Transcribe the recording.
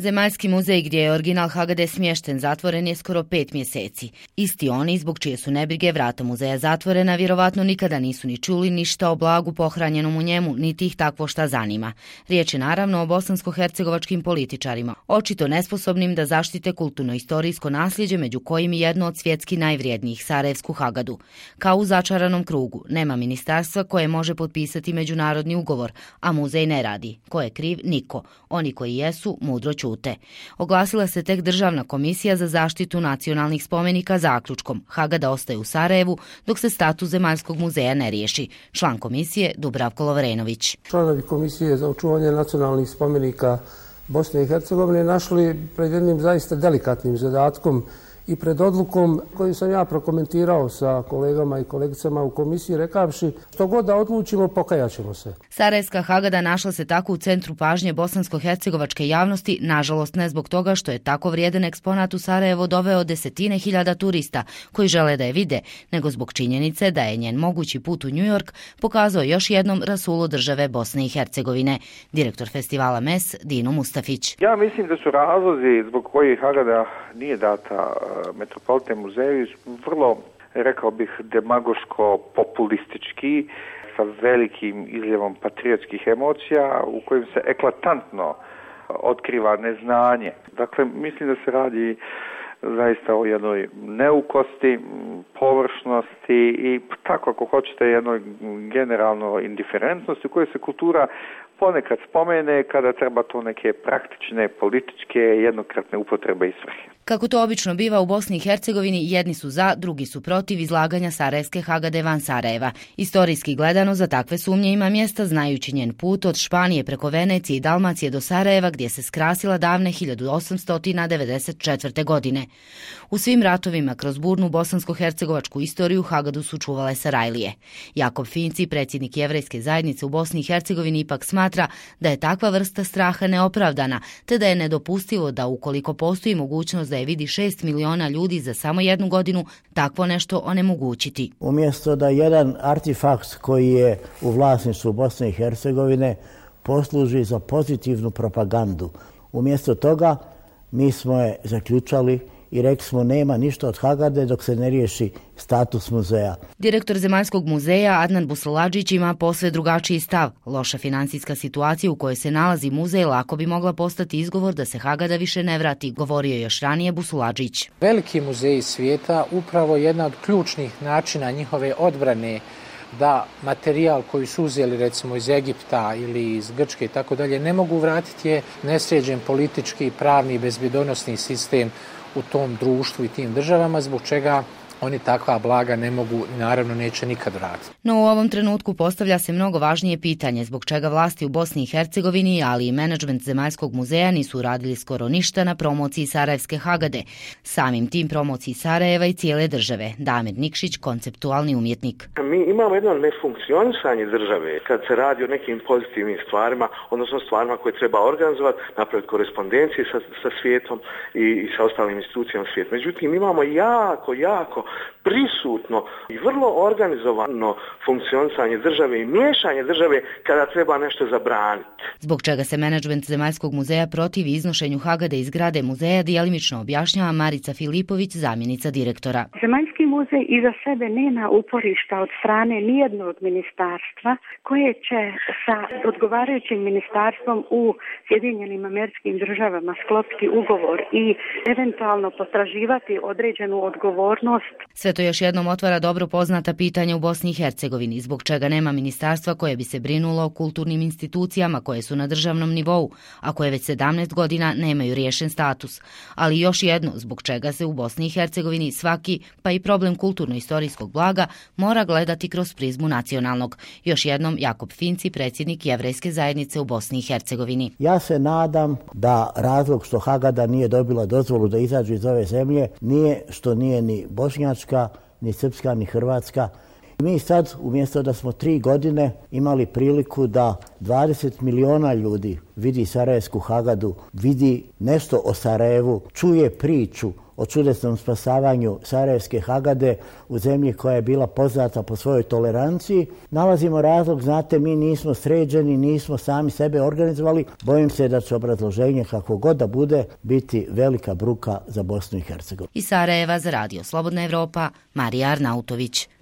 Zemaljski muzej gdje je original Hagade smješten zatvoren je skoro 5 mjeseci. Isti oni zbog čije su nebrige vrata muzeja zatvorena vjerovatno nikada nisu ni čuli ništa o blagu pohranjenom u njemu, niti ih takvo šta zanima. Riječ je naravno o bosansko-hercegovačkim političarima, očito nesposobnim da zaštite kulturno-istorijsko nasljeđe među kojim i jedno od svjetski najvrijednijih, Sarajevsku Hagadu. Kao u začaranom krugu, nema ministarstva koje može potpisati međunarodni ugovor, a muzej ne radi. Ko je kriv? Niko. Oni koji jesu, mudro ćute. Oglasila se tek Državna komisija za zaštitu nacionalnih spomenika zaključkom. Hagada ostaje u Sarajevu dok se status Zemaljskog muzeja ne riješi. Član komisije Dubravko Lovrenović. Članovi komisije za očuvanje nacionalnih spomenika Bosne i Hercegovine našli pred jednim zaista delikatnim zadatkom i pred odlukom koju sam ja prokomentirao sa kolegama i kolegicama u komisiji rekavši što god da odlučimo pokajat ćemo se. Sarajevska Hagada našla se tako u centru pažnje bosansko-hercegovačke javnosti, nažalost ne zbog toga što je tako vrijedan eksponat u Sarajevo doveo desetine hiljada turista koji žele da je vide, nego zbog činjenice da je njen mogući put u New York pokazao još jednom rasulu države Bosne i Hercegovine. Direktor festivala MES Dino Mustafić. Ja mislim da su razlozi zbog kojih Hagada nije data Metropolitan muzeju vrlo, rekao bih, demagoško-populistički, sa velikim izljevom patriotskih emocija u kojim se eklatantno otkriva neznanje. Dakle, mislim da se radi zaista o jednoj neukosti, površnosti i tako ako hoćete jednoj generalno indiferentnosti u kojoj se kultura ponekad spomene kada treba to neke praktične, političke, jednokratne upotrebe i svrhe. Kako to obično biva u Bosni i Hercegovini, jedni su za, drugi su protiv izlaganja Sarajevske Hagade van Sarajeva. Istorijski gledano za takve sumnje ima mjesta znajući njen put od Španije preko Venecije i Dalmacije do Sarajeva gdje se skrasila davne 1894. godine. U svim ratovima kroz burnu bosansko-hercegovačku istoriju Hagadu su čuvale Sarajlije. Jakob Finci, predsjednik Jevrejske zajednice u Bosni i Hercegovini, ipak smatra da je takva vrsta straha neopravdana, te da je nedopustivo da ukoliko postoji mogućnost da je vidi 6 miliona ljudi za samo jednu godinu, takvo nešto onemogućiti. Umjesto da jedan artefakt koji je u vlasništvu Bosne i Hercegovine posluži za pozitivnu propagandu, umjesto toga mi smo je zaključali i rekli smo nema ništa od Hagade dok se ne riješi status muzeja. Direktor Zemaljskog muzeja Adnan Busaladžić ima posve drugačiji stav. Loša financijska situacija u kojoj se nalazi muzej lako bi mogla postati izgovor da se Hagada više ne vrati, govorio je još ranije Busaladžić. Veliki muzeji svijeta upravo jedna od ključnih načina njihove odbrane da materijal koji su uzeli recimo iz Egipta ili iz Grčke i tako dalje ne mogu vratiti je nesređen politički, pravni i bezbjedonosni sistem u tom društvu i tim državama, zbog čega oni takva blaga ne mogu, naravno neće nikad vratiti. No u ovom trenutku postavlja se mnogo važnije pitanje zbog čega vlasti u Bosni i Hercegovini, ali i menadžment Zemaljskog muzeja nisu uradili skoro ništa na promociji Sarajevske Hagade. Samim tim promociji Sarajeva i cijele države. Damir Nikšić, konceptualni umjetnik. Mi imamo jedno nefunkcionisanje države kad se radi o nekim pozitivnim stvarima, odnosno stvarima koje treba organizovati, napraviti korespondencije sa svijetom i sa ostalim institucijama svijeta. Međutim, imamo jako prisutno i vrlo organizovano funkcionisanje države i miješanje države kada treba nešto zabraniti. Zbog čega se menadžment Zemaljskog muzeja protivi iznošenju Hagade iz zgrade muzeja dijelimično objašnjava Marica Filipović, zamjenica direktora. Zemaljski muzej iza sebe nema uporišta od strane nijednog ministarstva koje će sa odgovarajućim ministarstvom u Sjedinjenim Američkim Državama sklopiti ugovor i eventualno potraživati određenu odgovornost. Sve to još jednom otvara dobro poznata pitanja u Bosni i Hercegovini, zbog čega nema ministarstva koje bi se brinulo o kulturnim institucijama koje su na državnom nivou, a koje već 17 godina nemaju riješen status. Ali još jedno, zbog čega se u Bosni i Hercegovini svaki, pa i problem kulturno-istorijskog blaga, mora gledati kroz prizmu nacionalnog. Još jednom Jakob Finci, predsjednik Jevrejske zajednice u Bosni i Hercegovini. Ja se nadam da razlog što Hagada nije dobila dozvolu da izađu iz ove zemlje nije što nije ni bošnjačka, ni srpska, ni hrvatska. Mi sad, umjesto da smo 3 godine imali priliku da 20 miliona ljudi vidi Sarajevsku Hagadu, vidi nešto o Sarajevu, čuje priču o čudesnom spasavanju Sarajevske Hagade u zemlji koja je bila poznata po svojoj toleranciji. Nalazimo razlog, znate, mi nismo sređeni, nismo sami sebe organizovali. Bojim se da će obrazloženje, kako god da bude, biti velika bruka za Bosnu i Hercegovinu. Iz Sarajeva za Radio Slobodna Evropa, Marija Arnautović.